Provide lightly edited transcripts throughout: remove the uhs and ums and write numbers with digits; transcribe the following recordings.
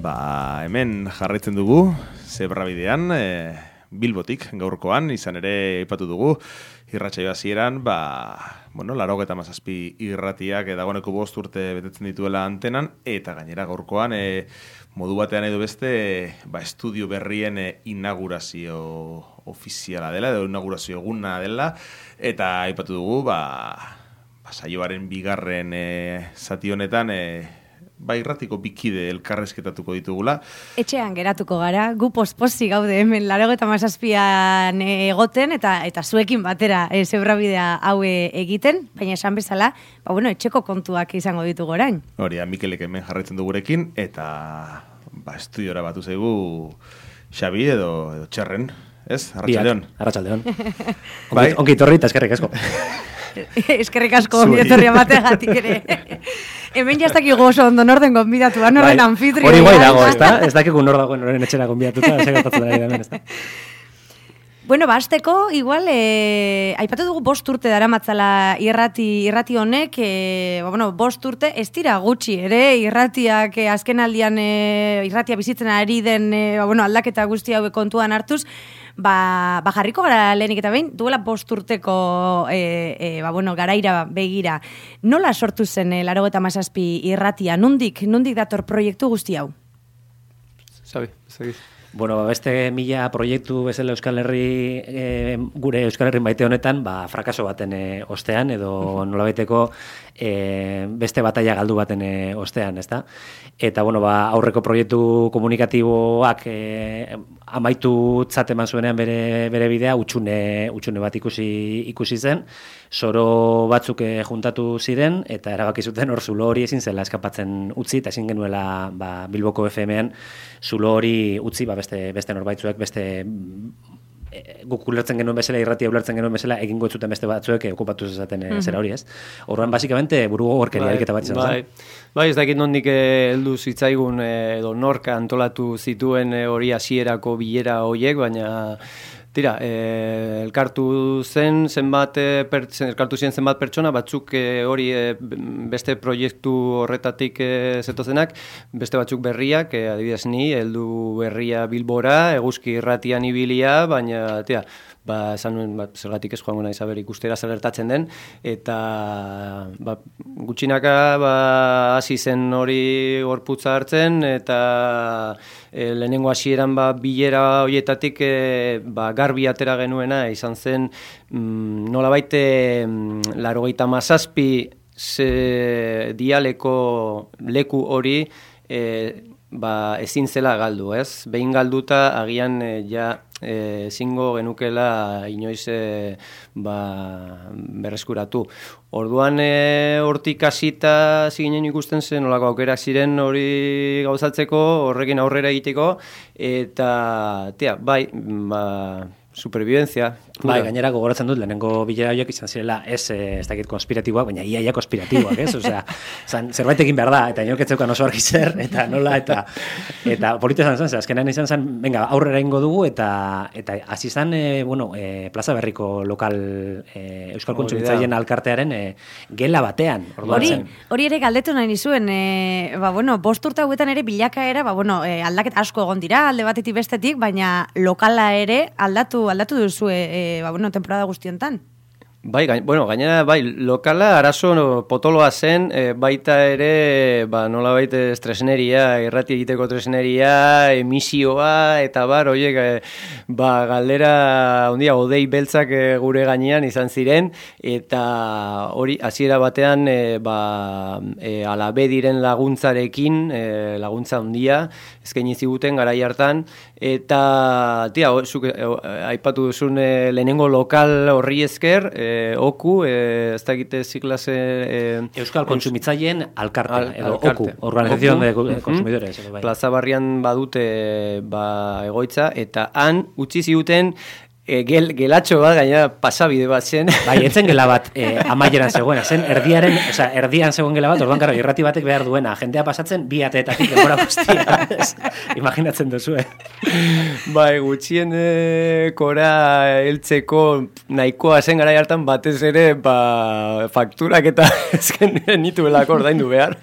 Hemen jarraitzen dugu, Zebrabidean, Bilbotik gaurkoan, izan ere aipatu dugu, irratsaio hasieran, 97 irratiak dagoeneko 5 urte betetzen dituela antenan, eta gainera gaurkoan, modu batean edo beste, estudio berrien inaugurazio ofiziala dela, edo inaugurazio eguna dela, eta aipatu dugu, saioaren bigarren zati honetan, irratiko bikide elkarrezketatuko ditugula. Etxean geratuko gara, gu posposi gaude hemen 97an egoten eta zuekin batera Zebrabidea hau egiten, baina esan bezala, etxeko kontuak izango ditugu orain. Hori, Mikelek hemen jarraitzen dugurekin, eta estudiora batu zaigu Xabi edo Txerren, ez? Arratsaldeon. Arratsaldeon. Ongi etorri eta eskerrik asko. Eskerrik asko onbietorria bategatik ere. Hemen jaztakigu oso ondo norden gonbidatua, norden anfitrioa. Hori guai dago, ez dakigu nor dagoen noren etxera gonbidatuta, segertatzen da hemen, ez da. Hasteko, igual, aipatu dugu 5 urte daramatzala irrati honek, 5 urte, ez dira gutxi, ere, irratiak azken aldian irratia bizitzen ari den aldaketa guzti hauek kontuan hartuz, jarriko gara lehenik eta behin, duela 5 urteko garaira begira. Nola sortu zen 97 irratia? Nondik dator proiektu guzti hau? Sabi. Beste 1000 proiektu bezala Euskal Herri, gure Euskal Herri maite honetan, frakaso baten ostean, edo nolabaiteko beste bataila galdu baten ostean, ezta? Eta, aurreko proiektu komunikatiboak amaitu eman zuenean bere bidea, utxune bat ikusi zen, soro batzuk juntatu ziren, eta erabaki zuten hor zulo hori ezin zela eskapatzen utzi, eta ezin genuela Bilboko FM-ean zulo hori utzi, beste norbaitzuek, beste guk ulertzen genuen bezala, irratia ulertzen genuen bezala, egingo ez zuten beste batzuek okupatu zezaten zera hori, ez? Orduan, basikamente, burugo gorkeria ariketa bat izan zen. Ez dakit nondik heldu zitzaigun edo norka antolatu zituen hori hasierako bilera horiek, baina tira, elkartu ziren zenbat pertsona, batzuk hori beste proiektu horretatik zetozenak, beste batzuk berriak, adibidez ni, heldu berria Bilbora, eguzki irratian ibilia, baina, tira, esan nuen, zergatik ez joango nahi saber ikustera zer gertatzen den, eta gutxinaka hasi zen hori gorputza hartzen, eta lehenengo hasieran bilera horietatik garbi atera genuena izan zen nolabait 97 dialeko leku hori ezin zela galdu, ez? Behin galduta agian ezingo genukela inoiz berreskuratu. Orduan hortik hasita ziginen ikusten zen nolako aukerak ziren hori gauzatzeko, horrekin aurrera egiteko, eta supervivencia. Gainera gogoratzen dut, lehenengo bilera horiek izan zirela ez dakit konspiratiboak, baina iaia konspiratiboak, ez? Osea, zerbait egin behar da, eta inorketzeukan oso argi zer, eta nola, eta polita izan zen, azkenean izan zen, venga, aurrera ingo dugu, eta hasi zen, Plaza Berriko lokal Euskal Kontsumitzaileen alkartearen gela batean. Hori ere galdetu nahi nizuen, 5 urte hauetan ere bilakaera, aldaketa asko egon dira, alde batetik bestetik, baina lokala ere aldatu duzu temporada guztiontan. Gainera, lokala arazo potoloa zen, baita ere, nolabait tresneria, irrati egiteko tresneria, emisioa, eta horiek, galdera, odei beltzak gure gainean izan ziren, eta hori, hasiera batean, alabe diren laguntzarekin, laguntza handia, eskaini ziguten garai hartan, eta, zuk aipatu duzun lehenengo lokal horri esker, OKU, ez dakite ziklase... Euskal Kontsumitzaileen alkartea, edo OKU, Organización de Consumidores. Plaza Barrian badute egoitza, eta han utzi ziguten gelatxo bat, gaina pasabide bat zen. Bai, etzen gela bat amaieran zegoena, zen erdian zegoen gela bat, orduan, irrati batek behar duena, jendea pasatzen bi ateetatik denbora guztia. Imaginatzen duzu, Bai, gutxien kora heltzeko nahikoa zen gara hartan batez ere fakturak eta ezken nituelako ordaindu behar.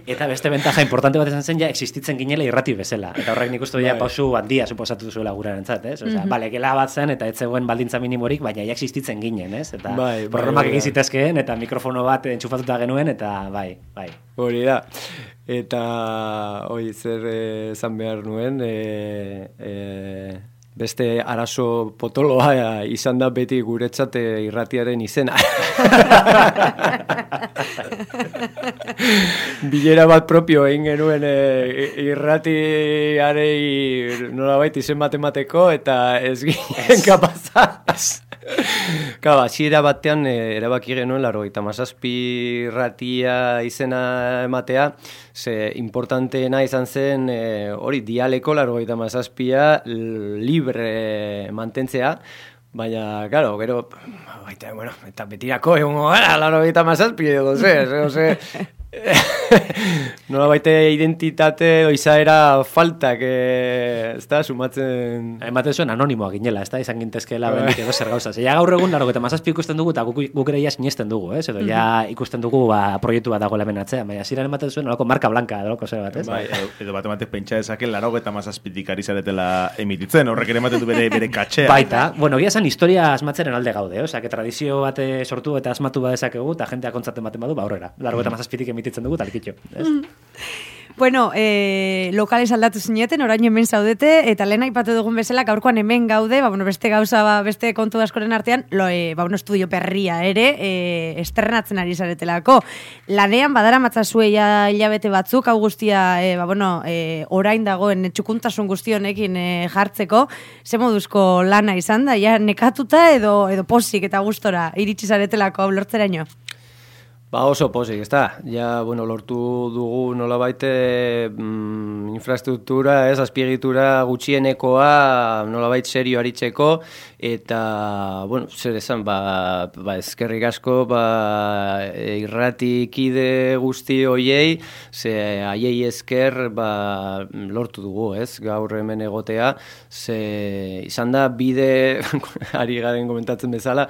Eta beste bentaja importante bat esan zen, ja, existitzen ginela irrati bezala. Eta horrek nik uste ja pausu handia suposatu zuela gurarentzat, ez? Osea, bale, gela bat zen, eta ez zegoen baldintza minimorik, baina ja existitzen ginen, ez? Eta programak egin zitezkeen, eta mikrofono bat entxufatuta genuen, eta bai. Hori da. Eta, zer esan behar nuen, beste arazo potoloa izan da beti guretzat irratiaren izena. Bilera bat propio egin genuen irratiarei nolabait izen matemateko eta ez ginen kapazaz. Claro, hasiera batean erabaki genuen 97 irratia izena ematea, ze importanteena izan zen hori dialeko 97a libre mantentzea, baina, claro, gero, eta betirako egongo gara 97 edo ze, nola baite identitate edo izaera faltak ez da, sumatzen... Ematen zuen anonimoa ginela, ez da, izan gintezkeela bendik edo zer gauza. Ja gaur egun, 97 ikusten dugu, eta guk ere ja sinesten dugu, ez? Edo ja ikusten dugu proiektu bat dagoela hemen atzean, baina ziren ematen zuen nolako marka blanka, edolako zer bat, ez? Bai, edo bat ematek pentsa dezaken 97 ari zaretela emititzen, horrek ere ematen du bere katxea. Baita, bueno, gia zen historia asmatzeren alde gaude, osea, que tradizio bat sortu eta asmatu badezakegu, eta jentea kontzaten baten badu, aurrera. 97tik emititzen dugu, talkitxo. Bueno, lokales aldatu zineten, orain hemen zaudete, eta lehen aipatu dugun bezala, gaurkoan hemen gaude, beste gauza, beste kontu askoren artean, estudio perria ere, estrenatzen ari zaretelako. Lanean badara matzazue hilabete batzuk, hau guztia, orain dagoen txukuntasun guztionekin jartzeko, ze moduzko lana izan da, ja nekatuta edo posik eta gustora iritsi zaretelako lortzeraino? Oso pozik, ez da. Ja, lortu dugu nolabait infrastruktura, azpiegitura gutxienekoa nolabait serio aritzeko, eta, zer esan, eskerrik asko, irratikide guzti hoiei, ze haiei esker lortu dugu, ez, gaur hemen egotea, ze izan da bide, ari garen komentatzen bezala,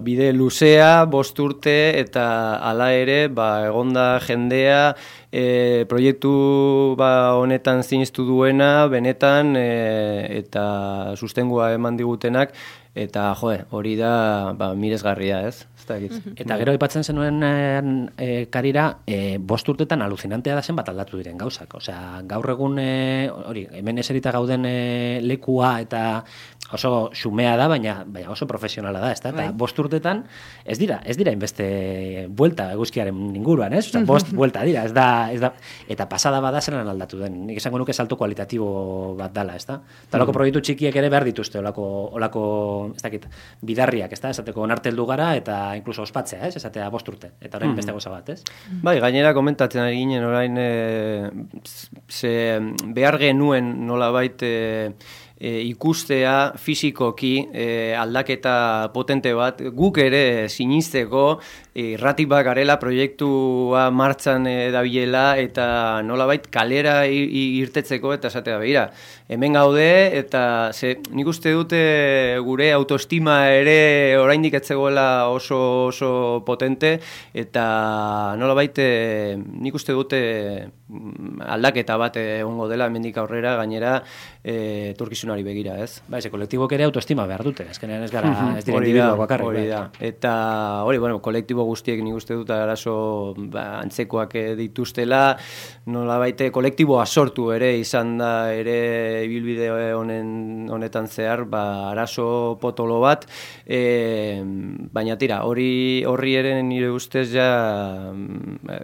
bide luzea, 5 urte, eta hala ere, egonda jendea, proiektu honetan ziniztu duena, benetan, eta sustengua eman digutenak, eta hori da miresgarria, ez? Eta gero aipatzen zenuen karira, 5 urtetan alucinantea da zen bat aldatu diren gauzak. Osea, gaur egun, hemen eserita gauden lekua eta oso xumea da, baina oso profesionala da, ezta? Eta 5 urtetan ez dira inbeste buelta eguzkiaren inguruan, ez? Osea, 5 buelta dira, ez da, eta pasada bada zelan aldatu den. Nik esango nuke salto kualitatibo bat dala, ezta? Eta olako proiektu txikiek ere behar dituzte, olako, ez dakit, bidarriak, ezta? Esateko onarte heldu gara, eta inkluso ospatzea, ez? Esatea 5 urte. Eta orain beste goza bat, ez? Bai, gainera komentatzen ari ginen orain behar genuen nolabait ikustea fisikoki aldaketa potente bat, guk ere sinisteko irrati bat garela proiektua martxan dabilela eta nolabait kalera irtetzeko eta esatea behira. Hemen gaude eta nik uste dute gure autoestima ere oraindik ez zegoela oso potente eta nolabait nik uste dute aldaketa bat egongo dela hemendik aurrera gainera etorkizunari begira, ez? Ba, ese kolektibok ere autoestima behar dute, azkenean ez gara, ez dira individuak bakarrik. Hori da, eta kolektibo guztiek nik uste dut arazo antzekoak dituztela, nolabait kolektiboa sortu ere izan da ere ibilbide honetan zehar, arazo potolo bat, baina tira, horri ere nire ustez ja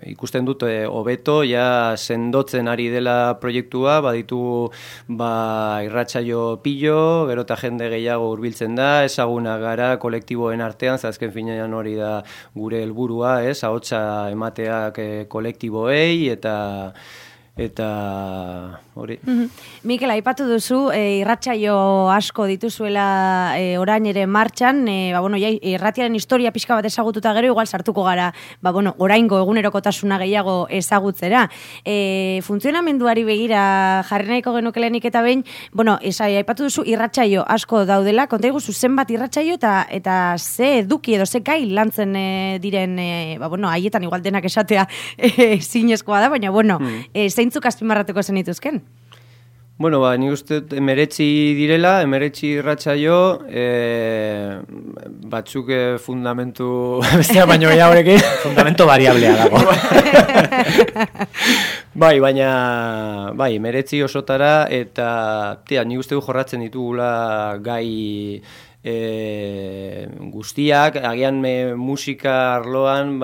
ikusten dut hobeto, ja sendotzen ari dela proiektua, baditu irratsaio pilo, gero eta jende gehiago hurbiltzen da, ezaguna gara kolektiboen artean, azken finean hori da gure helburua, ahotsa emateak kolektiboei, eta hori. Mikel, aipatu duzu, irratsaio asko dituzuela orain ere martxan, irratiaren historia pixka bat ezagututa gero, igual sartuko gara, oraingo egunerokotasuna gehiago ezagutzera. Funtzionamenduari begira jarri nahiko genukelenik eta behin, aipatu duzu irratsaio asko daudela, konta iguzu zenbat irratsaio eta ze eduki edo ze gai lantzen diren, haietan igual denak esatea zinezkoa da, baina zeintzuk azpimarratuko zenituzken? Nik uste 19 direla, 19 irratsaio, batzuk fundamentu bestea baino gehiagorekin. Fundamento variablea dago. Baina 19 osotara, eta nik uste jorratzen ditugula gai guztiak, agian musika arloan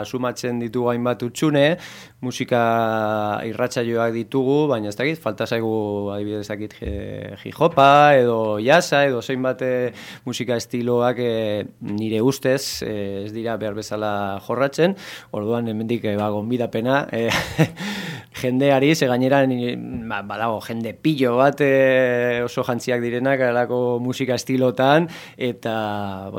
sumatzen ditugu hainbat utxune, musika irratsaioak ditugu, baina ez dakit, falta zaigu adibidez dakit hip-hopa edo jazza edo zeinbat musika estiloak nire ustez ez dira behar bezala jorratzen, orduan hemendik gonbidapena jendeari, ze gainera badago jende pillo bat oso jantziak direnak alako musika estilotan, eta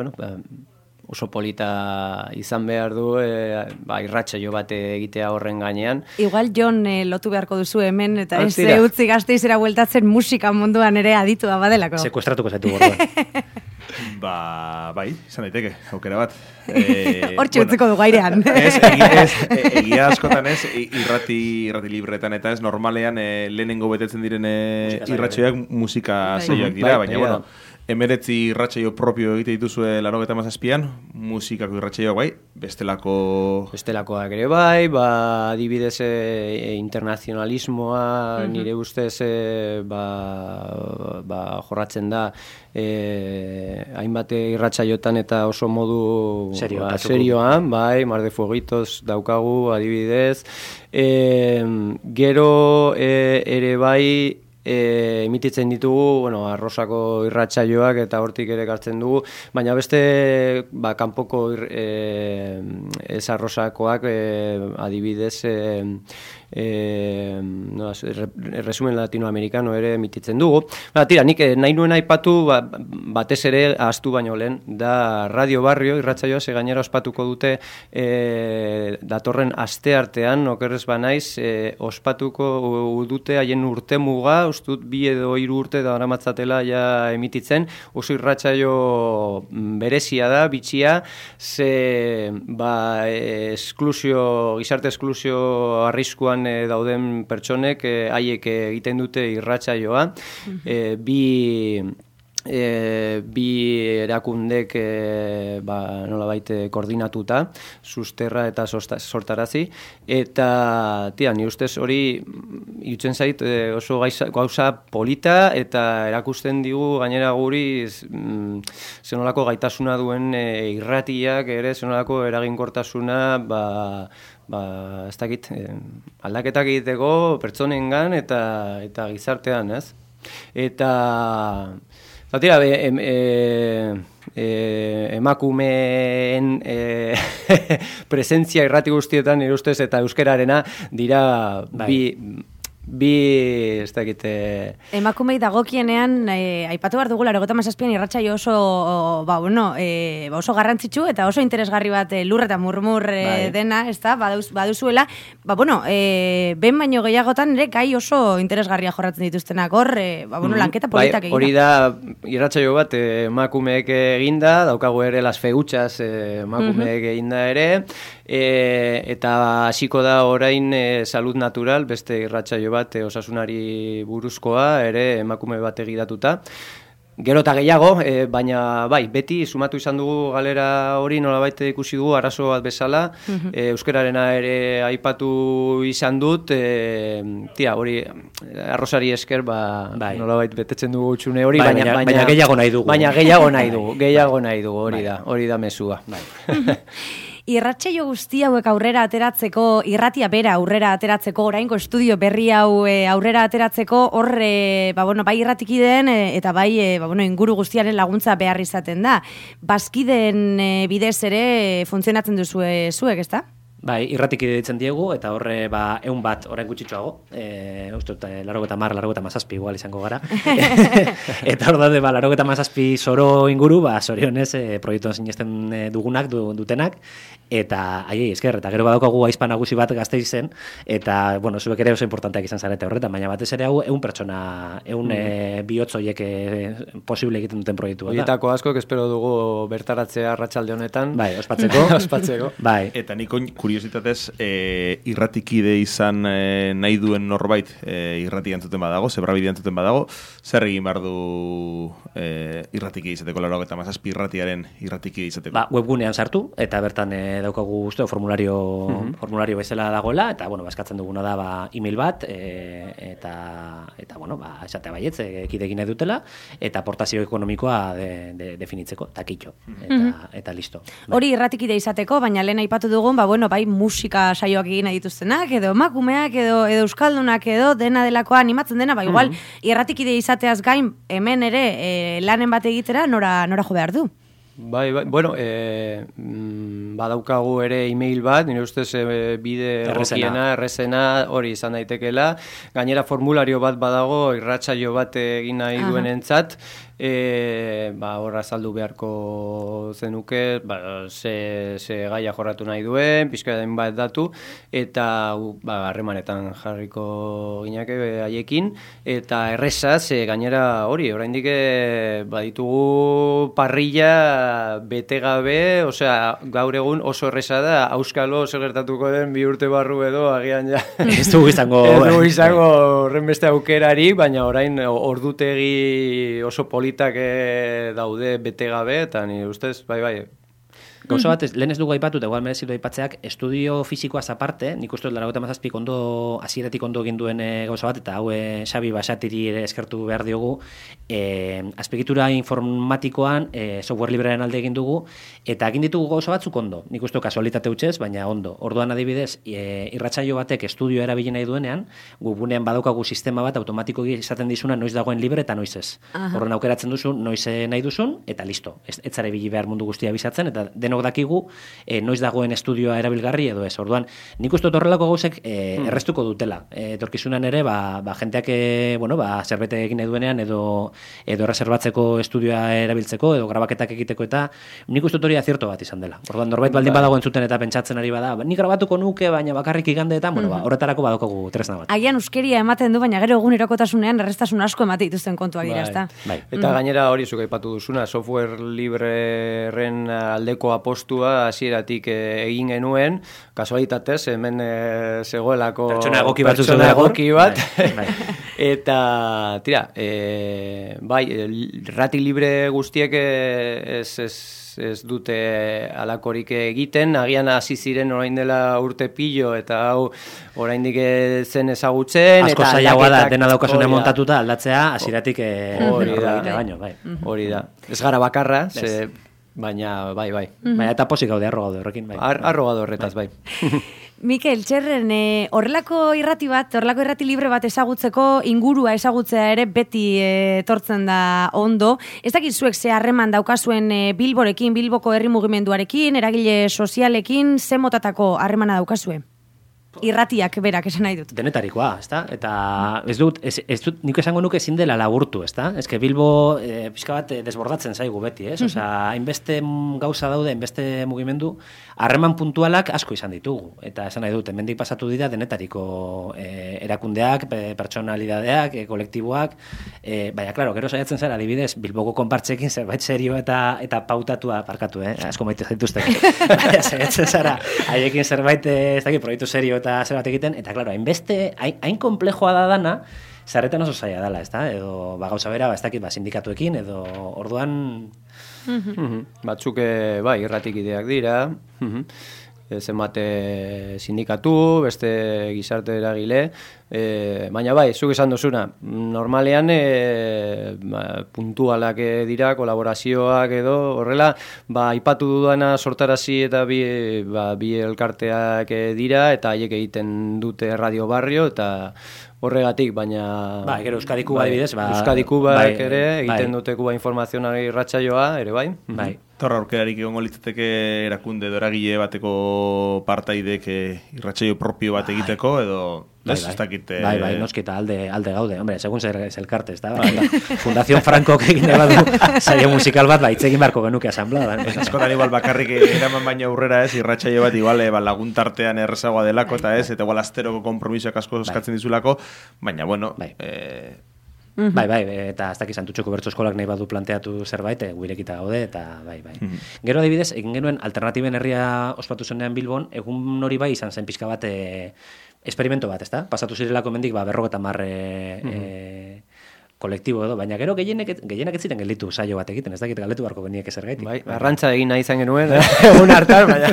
oso polita izan behar du irratsaio bat egitea horren gainean. Igual Jon lotu beharko duzu hemen, eta ez utzi Gasteizera bueltatzen musika munduan ere aditua badelako. Sekuestratuko zaitu gordoan. Izan daiteke, aukera bat. Hortxe utziko dugu airean. Egia askotan ez, irrati libretan eta ez normalean lehenengo betetzen diren irratsaioak musika saioak dira, baina 19 irratsaio propio egite dituzue 97an, musikako irratsaioak bai, bestelakoak ere bai, adibidez internazionalismoa nire ustez jorratzen da hainbat irratsaiotan eta oso modu serioan, bai, Mar de Fueguitos daukagu adibidez, gero ere bai emititzen ditugu, Arrosako irratsaioak eta hortik ere gartzen dugu, baina beste kanpoko ez Arrosakoak adibidez resumen latinoamerikano ere emititzen dugu. Nik nahi nuen aipatu batez ere ahaztu baino lehen da Radio Barrio irratsaioa, ze gainera ospatuko dute datorren asteartean, okerrez banaiz, ospatuko dute haien urtemuga, ustut 2 edo 3 urte daramatzatela ja emititzen, oso irratsaio berezia da, bitxia, ze gizarte esklusio arriskuan dauden pertsonek haiek egiten dute irratsaioa, bi erakundek nolabait koordinatuta, susterra eta sortarazi, eta ni ustez hori irutzen zait oso gauza polita eta erakusten digu gainera guri zenolako gaitasuna duen irratiak ere, zenolako eraginkortasuna ez dakit, aldaketak egiteko pertsonengan eta gizartean, ez? Eta emakumeen presentzia irrati guztietan nire ustez eta euskararena dira ez dakite... Emakumei dagokienean, aipatu behar dugu, 97an irratsaio oso oso garrantzitsu eta oso interesgarri bat lur eta murmur dena, ez da, baduzuela, ben baino gehiagotan ere gai oso interesgarria jorratzen dituztenak hor, lanketa politak egin. Hori da, irratsaio bat emakumeek eginda, daukagu ere las feuchas emakumeek eginda ere, eta hasiko da orain Salud Natural, beste irratsaio bat osasunari buruzkoa, ere emakume bat egidatuta. Gero eta gehiago, baina beti sumatu izan dugu galera hori nolabait ikusi dugu arazo bat bezala, euskararena ere aipatu izan dut, hori arrosari esker nolabait betetzen dugu utxune hori, baina gehiago nahi dugu. Baina gehiago nahi dugu, hori da mezua. Irratsaio guzti hauek aurrera ateratzeko, irratia bera aurrera ateratzeko, oraingo estudio berri hau aurrera ateratzeko, hor, bai irratikideen eta bai inguru guztiaren laguntza behar izaten da. Bazkideen bidez ere funtzionatzen duzue zuek, ezta? Bai, irratiki ditzen diegu, eta horre, 100 bat, orain gutxitxoago, uste, 87 igual izango gara. Eta hor daude, 87 zoro inguru, zorionez, proiektuan sinesten dugunak, dutenak, eta aiei, esker, eta gero badaukagu aizpa nagusi bat Gasteizen, eta, bueno, zuek ere oso importanteak izan zarete horretan, baina batez ere hau 100 pertsona, 100 bihotz horiek posible egiten duten proiektua. Horietako askok espero dugu bertaratzea arratsalde honetan. Bai, ospatzeko. Ospatzeko. Bai. Eta niko kuriositatez, irratikide izan nahi duen norbait irrati entzuten badago, zebrabide entzuten badago, zer egin behar du irratiki izateko, 97 irratiaren irratiki izateko? Webgunean sartu, eta bertan daukagu guztu formulario bezala dagoela, eta, bueno, eskatzen duguna da email bat, eta bueno, esatea baietz, ekidekin nahi dutela, eta aportazio ekonomikoa definitzeko, eta kitxo, eta listo. Hori irratikide izateko, baina lehen aipatu dugun, bueno, bai musika saioak egin nahi dituztenak, edo emakumeak, edo euskaldunak, edo dena delakoa animatzen dena, igual, irratikide izateaz gain, hemen ere lanen bat egitera, nora jo behar du? Bai, bueno, badaukagu ere email bat, nire ustez bide errezena hori izan daitekela. Gainera formulario bat badago, irratsaio bat egin nahi duen entzat, horra azaldu beharko zenuke, ze gaia jorratu nahi duen, pixka den bat datu, eta harremanetan jarriko gineke haiekin, eta erreza, ze gainera hori, oraindik baditugu parrilla bete gabe, osea, gaur egun oso erreza da, auskalo zer gertatuko den 2 urte barru edo, agian ja. Ez dugu izango horren beste aukerari, baina orain ordutegi oso politak daude bete gabe, eta nire ustez, bai. Gauza bat, lehen ez dugu aipatu, eta igual merezitu aipatzeak, estudio fisikoaz aparte, nik uste 97 hasieratik ondo egin duen gauza bat, eta hau Xabi Basatiri ere eskertu behar diogu, azpiegitura informatikoan software librearen alde egin dugu, eta egin ditugu gauza batzuk ondo, nik uste kasualitate hutsez, baina ondo. Orduan adibidez, irratsaio batek estudioa erabili nahi duenean, webgunean badaukagu sistema bat automatikoki izaten dizuna noiz dagoen libre eta noiz ez. Horren aukeratzen duzu, noiz nahi duzun, eta listo. Ez zara ibili behar mundu guztia bizatzen, eta denok dakigu noiz dagoen estudioa erabilgarri edo ez. Orduan, nik uste horrelako gauzek errestuko dutela. Etorkizunan ere, jenteak zerbait egin nahi duenean edo reservatzeko estudioa erabiltzeko edo grabaketak egiteko, eta nik uste hori azierto bat izan dela. Orduan, norbait baldin badago entzuten eta pentsatzen ari bada, nik grabatuko nuke, baina bakarrik igandeetan, horretarako badaukagu tresna bat. Agian euskeria ematen du, baina gero egunerokotasunean errestasun asko emate dituzten kontuak dira, ezta? Eta gainera hori zuk aipatu duzuna, software libreren aldeko apostua hasieratik egin genuen, kasualitatez, hemen zegoelako pertsona egoki bat, eta tira, rati libre guztiek ez dute alakorik egiten, agian hasi ziren orain dela urte pilo, eta hau oraindik zen ezagutzen, asko zailagoa da dena daukasunean montatuta aldatzea hasieratik hori da. Ez gara bakarra, baina bai. Baina eta posik gaude, arro gaude horrekin, bai. Arro gaude horretaz, bai. Mikel, txerren, horrelako irrati libre bat ezagutzeko, ingurua ezagutzea ere beti etortzen da ondo. Ez dakit zuek ze harreman daukazuen Bilborekin, Bilboko herri mugimenduarekin, eragile sozialekin, ze motatako harremana daukazue? Irratiak berak esan nahi dut. Denetarikoa, ezta? Eta ez dut, nik esango nuke ezin dela laburtu, ezta? Ez que Bilbo pixka bat desbordatzen zaigu beti, ez? Osea, hainbeste gauza daude, hainbeste mugimendu, harreman puntualak asko izan ditugu. Eta esan nahi dut, hemendik pasatu dira denetariko erakundeak, pertsonalidadeak, kolektiboak, baina, klaro, gero saiatzen zara, adibidez, Bilboko konpartzekin zerbait serio eta pautatua parkatu, asko maite zaituzte. Baina, saiatzen zara, haiekin zerbait, ez dakit, proiektu serio eta zer bat egiten, eta, klaro, hain komplejoa da dana, zarretan oso zaila dela, ezta? Edo, gauza bera, ez dakit, sindikatuekin, edo, orduan... Batzuk, irratik ideak dira, zenbate sindikatu, beste gizarte eragile, baina zuk esan duzuna, normalean puntualak dira, kolaborazioak edo, horrela, aipatu dudana sortarazi eta bi elkarteak dira, eta haiek egiten dute Radio Barrio, eta horregatik, baina... gero Euskadiku adibidez, Euskadiku ere egiten dute Kuba informazionari irratsaioa, ere bai. Torra aurkerarik egongo litzateke erakunde doragile bateko partaidek irratsaio propio bat egiteko, edo... Bai, noskita alde gaude. Hombre, segun zer elkarte, ez da? Fundación Franco egin badu saio musikal bat, itzegin beharko genuke asamblea. Askotan igual bakarrik eraman baina aurrera ez, irratsaio bat igual laguntartean errezagoa delako, eta ez, eta igual asteroko konpromisoak asko eskatzen dizulako, baina, bueno... Bai, eta ez dakizan Santutxoko bertso eskolak nahi badu planteatu zerbait, guirekita gaude, eta bai. Gero adibidez, egin genuen alternatiben herria ospatu zenean Bilbon, egun hori bai izan zen pixka bat esperimento bat, ezta? Pasatu zirelako mendik, 50 kolektibo edo, baina gero gehienak ez ziren gelditu saio bat egiten, ez dakit galdetu beharko geniek ezergaitik. Bai, arrantza egin nahi izan genuen, egun hartan, baina...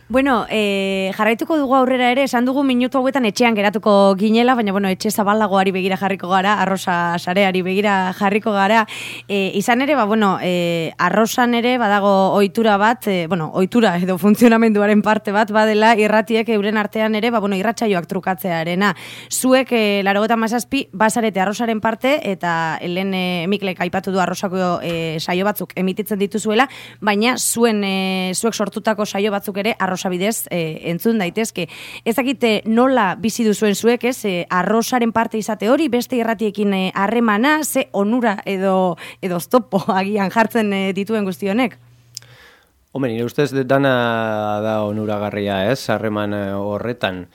Bueno, jarraituko dugu aurrera ere, esan dugu minutu hauetan etxean geratuko ginela, baina bueno, etxe zabalagoari begira jarriko gara, arrosa sareari begira jarriko gara. Izan ere, arrosan ere badago ohitura bat, ohitura edo funtzionamenduaren parte bat badela irratiek euren artean ere, irratsaioak trukatzearena. Zuek 97 bazarete arrosaren parte, eta helen Miklek aipatu du arrosako saio batzuk emititzen dituzuela, baina zuek sortutako saio batzuk ere arrosabidez entzun daitezke. Ez dakite nola bizi duzuen zuek, ez? Arrosaren parte izate hori, beste irratiekin harremana, ze onura edo oztopo agian jartzen dituen guzti honek? Hombre, nire ustez dana da onuragarria, ez? Harreman horretan.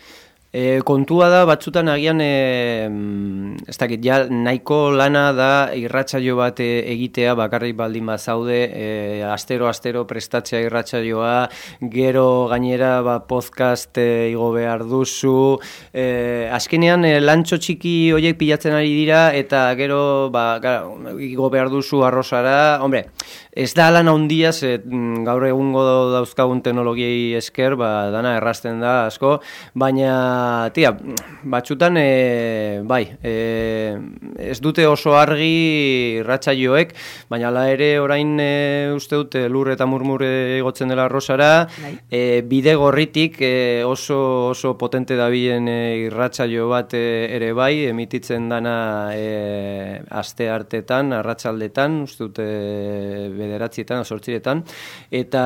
Kontua da, batzutan agian, ez dakit, ja nahiko lana da irratsaio bat egitea, bakarrik baldin bazaude, astero prestatzea irratsaioa, gero gainera podcast igo behar duzu, azkenean lantxo txiki horiek pilatzen ari dira, eta gero igo behar duzu arrosara, hombre, ez da lan handia, gaur egungo dauzkagun teknologiei esker, dana errazten da asko, baina batzutan, ez dute oso argi irratsaioek, baina hala ere orain uste dute lur eta murmure igotzen dela arrosara, bide gorritik oso potente dabilen irratsaio bat ere bai, emititzen dana aste artetan, arratsaldetan, uste dute 9etan, 8etan, eta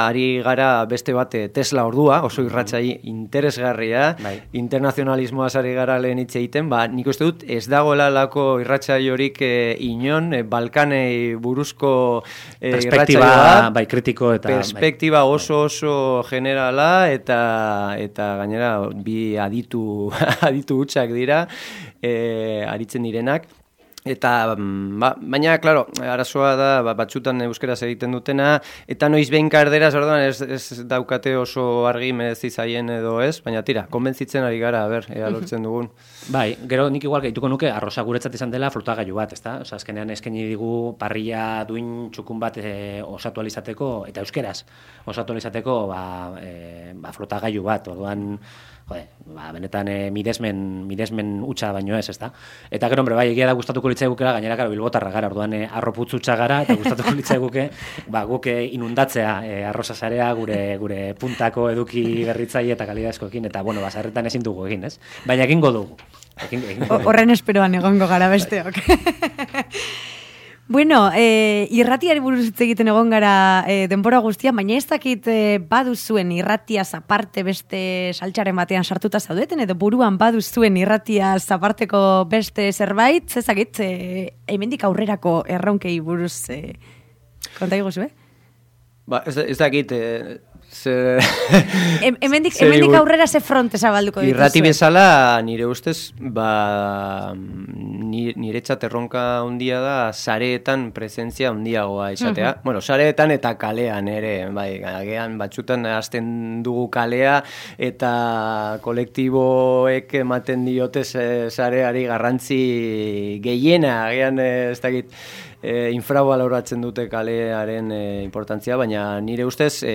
ari gara beste bat Tesla ordua, oso irratsai interesgarria, internazionalismoa sari gara lehen hitz egiten, nik uste dut ez dagoela lako irratsaiorik inon, Balkanei buruzko perspektiba, kritiko eta... Perspektiba oso generala, eta gainera bi aditu hutsak dira, aritzen direnak. Eta, baina, klaro, arazoa da, batzutan euskeraz egiten dutena, eta noiz behin karderaz, orduan ez daukate oso argi merezi zaien edo ez, baina tira, konbentzitzen ari gara, ea lortzen dugun. Bai, gero nik igual gehituko nuke, arrosa guretzat izan dela flotagailu bat, ezta? Osa, azkenean eskaini digu parrilla duin txukun bat osatu alizateko, eta euskeraz osatu alizateko, flotagailu bat, orduan... benetan miresmen utxa baino ez, ezta? Eta gero, hombre, egia da gustatuko litzaigukela, gainera, bilbotarra gara, orduan arroputz utxa gara, eta gustatuko litzaiguke, guk inundatzea arrosa sarea gure puntako eduki berritzaile eta kalidazkoekin, eta, basarretan ezin dugu egin, ez? Baina egingo dugu. Horren esperoan egongo gara besteok. Bueno, irratiari buruz hitz egiten egon gara denbora guztian, baina ez dakit baduzuen irratiaz aparte beste saltxaren batean sartuta zaudeten, edo buruan baduzuen irratiaz aparteko beste zerbait, ez dakit, hemendik aurrerako erronkei buruz konta iguzu, Ez dakit... Hemendik aurrera ze fronte zabalduko dituzu. Irrati bezala, nire ustez, niretzat erronka handia da sareetan presentzia handiagoa izatea. Bueno, sareetan eta kalean ere, agian batzutan hasten dugu kalea eta kolektiboek ematen diote sareari garrantzi gehiena, agian ez dakit, infravaloratzen dute kalearen importantzia, baina nire ustez,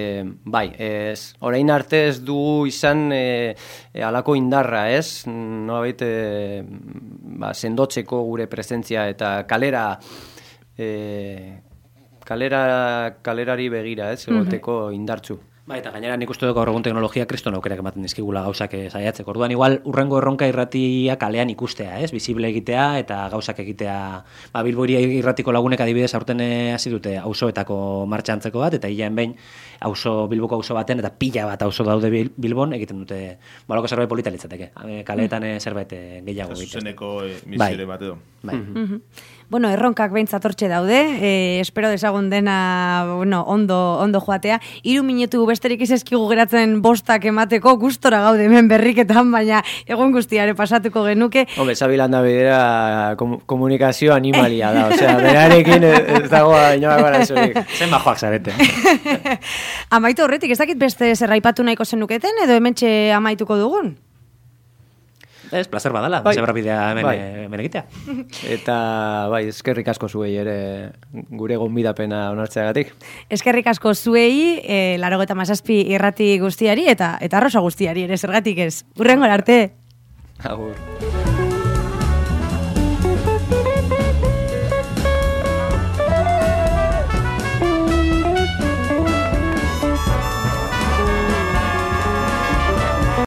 orain arte ez dugu izan halako indarra, ez? Nolabait sendotzeko gure presentzia eta kalerari begira, ez? Egoteko indartzu. Eta gainera nik uste dut gaur egun teknologia kriston aukerak ematen dizkigula gauzak saiatzeko. Orduan igual urrengo erronka irratia kalean ikustea, visible egitea eta gauzak egitea. Bilbo irratiko lagunek adibidez aurten hasi dute auzoetako martxantzeko bat eta hilean behin Bilboko auzo baten eta pila bat auzo daude Bilbon egiten dute baloko zerbait polita litzateke. Kaleetan zerbait gehiago egiten. Zuzeneko misiore bat edo. Bai. Bueno, erronkak behintzat hortxe daude, espero desagun dena ondo joatea. 3 minutu besterik izazkigu geratzen bostak emateko, gustora gaude hemen berriketan, baina egun guztiare pasatuko genuke. Hombre, Zabilanda bidera komunikazio animalia da, osea, berarekin ez dago inoak gara esorik. Zen bajoak zarete. Amaitu horretik, ez dakit beste zerraipatu nahiko zenuketen, edo hementxe amaituko dugun? Ez, placer badala, zebrabidea hemen egitea. Eta, eskerrik asko zuei ere gure gonbidapena onartzeagatik. Eskerrik asko zuei, 97 irrati guztiari eta arrosa guztiari ere, zergatik ez. Hurrengora arte. Agur.